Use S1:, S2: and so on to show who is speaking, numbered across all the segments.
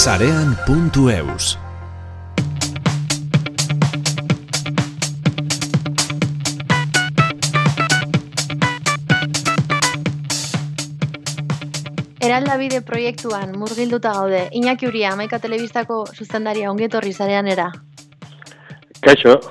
S1: Sarean.eus.
S2: Eraldabide proiektuan murgilduta gaude. Iñaki Uria, Hamaika Telebistako zuzendaria, ongi etorri Sareanera.
S3: Kaixo,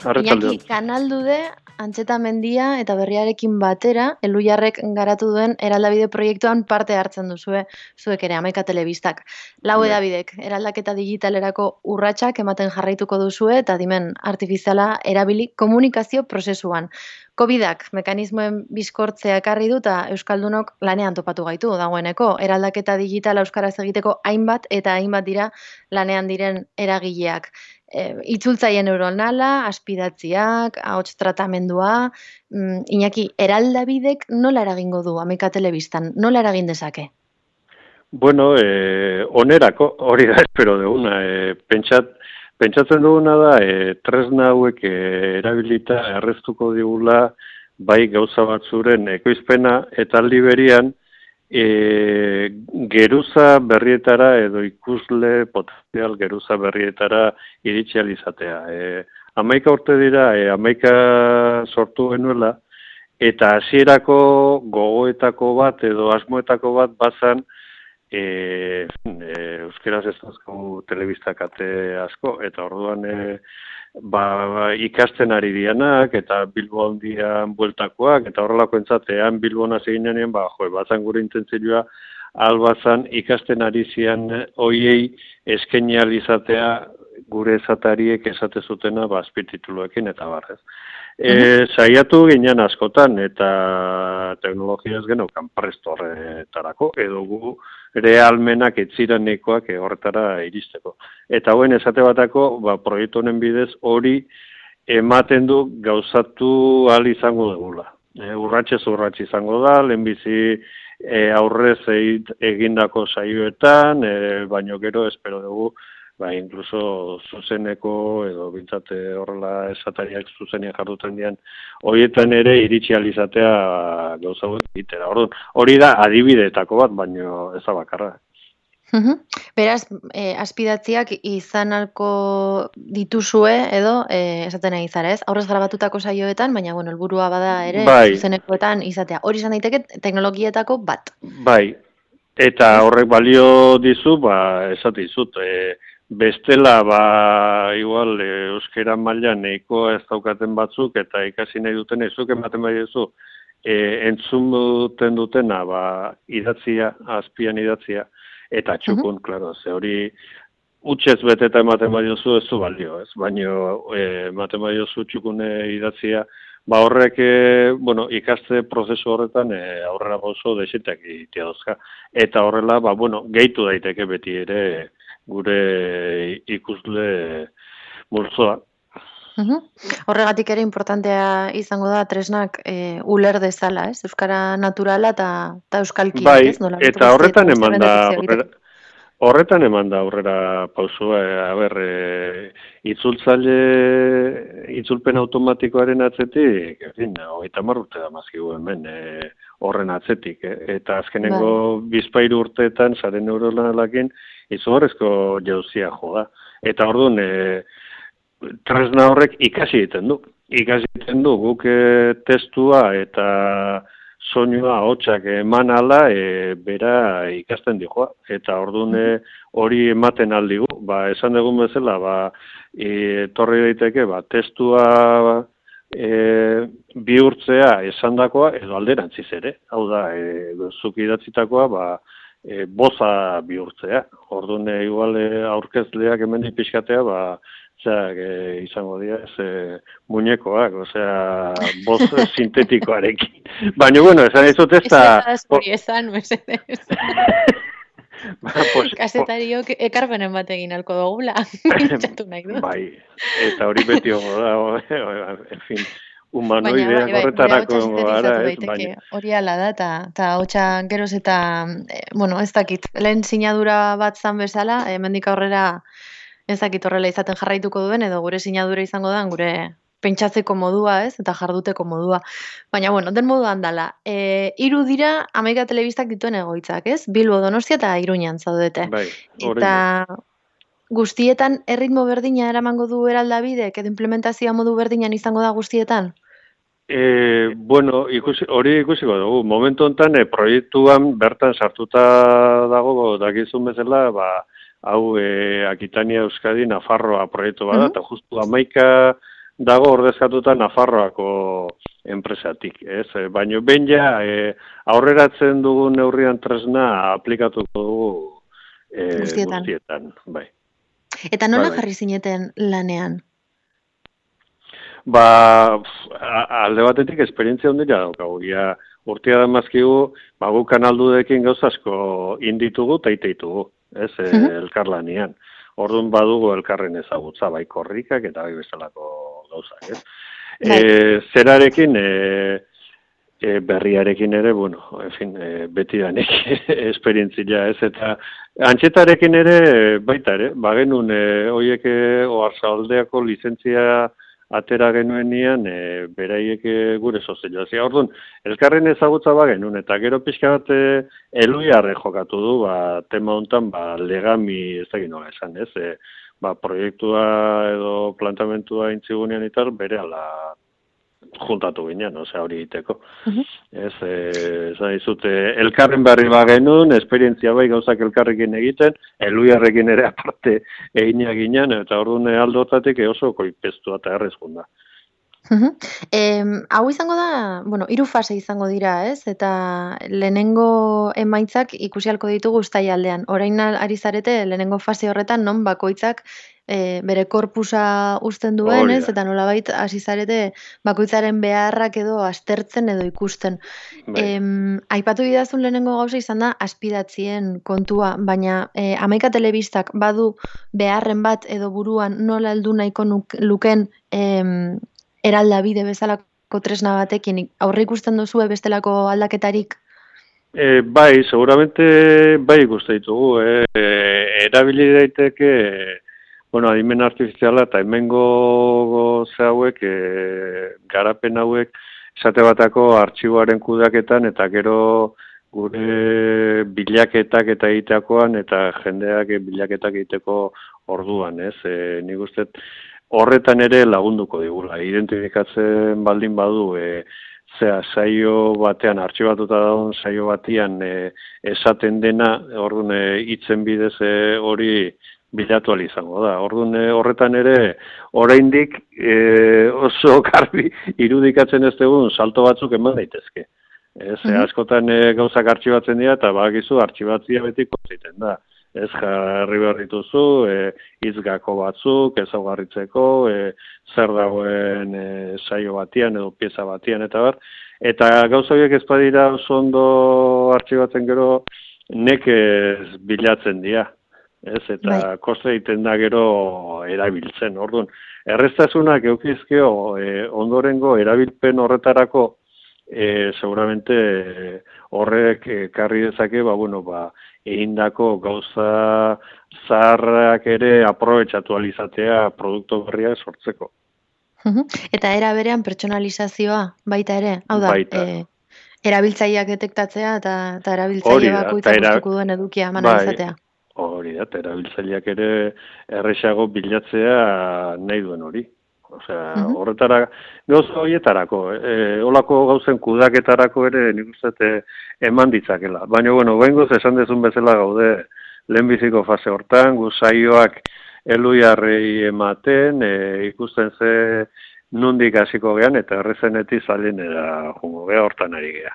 S3: arratsaldeon.
S2: Iñaki, kanaldude, Antxetamendia eta Berriarekin batera, Elhuyarrek garatu duen eraldabide proiektuan parte hartzen duzue, zuek ere, Hamaika Telebistak. Lau edabidek, eraldaketa digitalerako urratsak ematen jarraituko duzue eta adimen artifiziala erabili komunikazio prozesuan. Covidak mekanismoen bizkortzea ekarri du eta euskaldunok lanean topatu gaitu dagoeneko. Eraldaketa digitala euskaraz egiteko hainbat eta hainbat dira lanean diren eragileak. Itzultzaile neuronala, aspidatziak, ahots tratamendua. Iñaki, eraldabidek nola eragingo du Hamaika Telebistan? Nola eragin dezake?
S3: Bueno, onerako, hori da espero duguna. Pentsatzen duguna da, tresna hauek erabilita erreztuko digula bai gauza batzuren ekoizpena eta aldi berian geruza berrietara edo ikusle potenzial geruza berrietara iritsi ahal izatea. 11 urte dira, 11 sortu genuela, eta hasierako gogoetako bat edo asmoetako bat bazan euskeraz ez dazko telebistak ate asko, eta orduan ikasten ari dianak, eta Bilbo handian bueltakoak, eta horrelako entzatean Bilbon hasi ginean, bazan gure intentzioa, albazan ikasten ari zian hoiei eskaini ahal izatea gure esatariek esate zutena azpitituluekin eta barrez. Saiatu ginen askotan eta teknologiaz genaukan prest horretarako, edo gu realmenak etziranekoak horretara iristeko. Eta hoen esate batako, proiektu honen bidez hori ematen du gauzatu ahal izango dugula. Urratxez urratx izango da, lehenbizi aurrez egindako saioetan, baino gero espero dugu, inkluso zuzeneko edo bintzate horrela esatariak zuzenean jarduten dian, horietan ere iritsi ahal izatea gauza hauek egitera. Hori da adibideetako bat, baino ez da bakarra.
S2: Beraz, aspidatziak izan alko dituzue edo esaten nahi zara, ez? Aurrez grabatutako saioetan, baina helburua bada ere zuzenekoetan izatea. Hori izan daiteke teknologietako bat.
S3: Bai, eta horrek balio dizu, esate dizut, bestela, igual, euskera mailan nahikoa ez daukaten batzuk, eta ikasi nahi duten ezuk ematen bai duzu, entzun dutena, idatzia, azpian idatzia, eta txukun, klaro, ze hori, utxez beteta ematen bai duzu ez du balio, ez? Baina ematen bai duzu txukune idatzia, horrek, ikaste prozesu horretan aurrera pauso desetak egitea dozka. Eta horrela, gehitu daiteke beti ere gure ikusle multzoa.
S2: Horregatik ere importantea izango da tresnak uler dezala, ez? Euskara naturala eta euskalki.
S3: Bai, eta horretan eman da aurrera pausua, itzulpen automatikoaren atzetik, 30 urte da mazkigu hemen horren atzetik, eta azkenengo bizpairu urteetan sare neuronalakin izugarrizko jauzia jo da. Eta orduan, tresna horrek ikasi egiten du. Ikasi egiten du guk testua eta soinua hotxak eman ala, bera ikasten dijoa. Eta orduan hori ematen aldigu. Esan dugun bezala, torri daiteke, testua bihurtzea esandakoa edo alderantziz ere. Hau da, zuk idatzitakoa, boza bihurtzea. Orduan, igual aurkezleak hemen pixkatea, izango dira, muñekoak, boz sintetikoarekin. Baina, esan dizut ez da...
S2: Kasetariok ekarpenen bat egin alko dugula.
S3: Bai, eta hori beti hogo da, en fin... humanoideak horretarako gara,
S2: ez? Hori ala da, eta hotxa geroz eta, ez dakit, lehen sinadura bat zan bezala, hemendik aurrera ez dakit horrela izaten jarraituko duen, edo gure sinadura izango da, pentsatzeko modua, ez? Eta jarduteko modua. Baina, bueno, den moduan dala. 3 dira Hamaika Telebistak dituen egoitzak, ez? Bilbo, Donostia eta Iruñan zaudete.
S3: Bai, oraindik.
S2: Eta guztietan erritmo berdina eramango du eraldabidek, edo implementazioa modu berdinan izango da guztietan?
S3: Bueno, hori ikusiko dugu. Momentu honetan, proiektuan bertan sartuta dago, dakizun bezala, hau Akitania Euskadi Nafarroa proiektu bada, eta justu 11 dago ordezkatuta Nafarroako enpresatik, ez? Baina behin ja, aurreratzen dugun neurrian tresna aplikatuko dugu guztietan, bai.
S2: Eta nola jarri zineten lanean?
S3: Alde batetik esperientzia ondila daukagu. Urtea da mazkigu, gu kanaldudekin gauzasko inditugu eta iteitugu, ez, elkarlanian. Orduan badugu elkarren ezagutza, bai korrikak eta bai bezalako gauzak, ez. Zerarekin, berriarekin ere, bueno, beti danik esperientzia, ez, eta antxetarekin ere, baita ere, bagenun, horiek Oarsoaldeako lizentzia atera genuenian, beraiek gure sozelioa. Orduan, elkarren ezagutza bagenun, eta gero pixka bat Eluiarre jokatu du, tema honetan, legami, ez da ginola esan, ez, proiektua edo plantamentua intzigunean itar, bere ala juntatu ginen, hori egiteko. Ez dizute, elkarren berri bagenun, esperientzia bai gauzak elkarrekin egiten, Eluiarrekin ere aparte egina ginen, eta orduan aldotatik oso koipestua eta errezkunda.
S2: Hau izango da, 3 fase izango dira, ez? Eta lehenengo emaitzak ikusi ahalko ditugu uztailean. Orain ari zarete lehenengo fase horretan non bakoitzak bere korpusa uzten duen, ez? Eta nolabait hasi zarete bakoitzaren beharrak edo aztertzen edo ikusten. Aipatu didazun lehenengo gauza izan da azpidatzien kontua, baina Hamaika Telebistak badu beharren bat edo buruan nola heldu nahiko luken eraldabide bezalako tresna batekin, aurre ikusten duzue bestelako aldaketarik?
S3: Bai, seguramente bai ikusten ditugu. Erabili daiteke, adimen artifiziala eta hemengo hauek, garapen hauek, esate batako artxiboaren kudeaketan eta gero gure bilaketak eta egiteakoan eta jendeak bilaketak egiteko orduan, ez? Nik uste horretan ere lagunduko digula. Identifikatzen baldin badu, saio batean, artxibatuta dagoen saio batean esaten dena, orduan hitzen bidez hori bilatu ahal izango da. Orduan horretan ere, oraindik oso garbi irudikatzen ez dugun salto batzuk eman daitezke. Askotan gauzak artxibatzen dira eta bakizu artxibatzia betiko ziten da. Ez jarri behar dituzu, izgako batzuk, ezaugarritzeko, zer dagoen saio batian edo pieza batian eta bar. Eta gauza horiek ez badira oso ondo artxibatzen gero nekez bilatzen dira. Eta koste egiten da gero erabiltzen. Orduan, erreztasunak eukizkeo ondorengo erabilpen horretarako seguramente horrek karri dezake, egindako gauza zaharrak ere aprobetxatu alizatea produktu berriak sortzeko.
S2: Eta era berean pertsonalizazioa baita ere, hau da, erabiltzaileak detektatzea eta erabiltzaile bakoitzak gustuko duen edukia eman izatea.
S3: Hori da, erabiltzaileak ere erresago bilatzea nahi duen hori. Horretara, gauza horietarako, olako gauzen kudaketarako ere nik uste eman ditzakela. Baina, behingoz esan dezun bezala gaude lehenbiziko fase hortan, saioak Eluiarrei ematen, ikusten ze nondik hasiko gean eta errezenetik zalinera jungo geha hortan ari geha.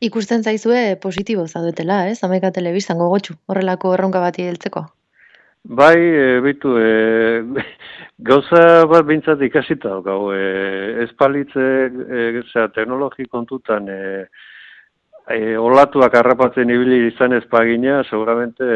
S2: Ikusten zaizue positibo zaudetela, ez? Hamaika Telebistan gogotsu, horrelako erronka bati heltzeko.
S3: Bai, bitu, gauza bat bintzat ikasita daukagu, ez palitze teknologi kontutan olatuak harrapatzen ibili izan ezpagina, seguramente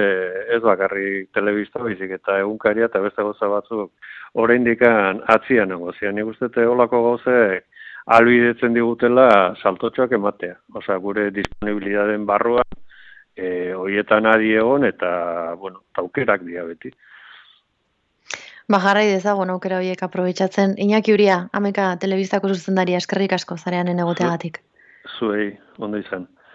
S3: ez bakarrik telebista bizik eta egunkaria eta beste gauza batzuk oraindik atzian negozian. Nik uste olako gauzek ahalbidetzen digutela saltotxoak ematea. Gure disponibilidaden barruan, horietan adi egon eta, aukerak dira beti.
S2: Jarrai dezagun aukera horiek aprobetxatzen. Iñaki Uria, Ameka telebistako zuzendaria, eskerrik asko zareanen egoteagatik.
S3: Zuei, ondo izan.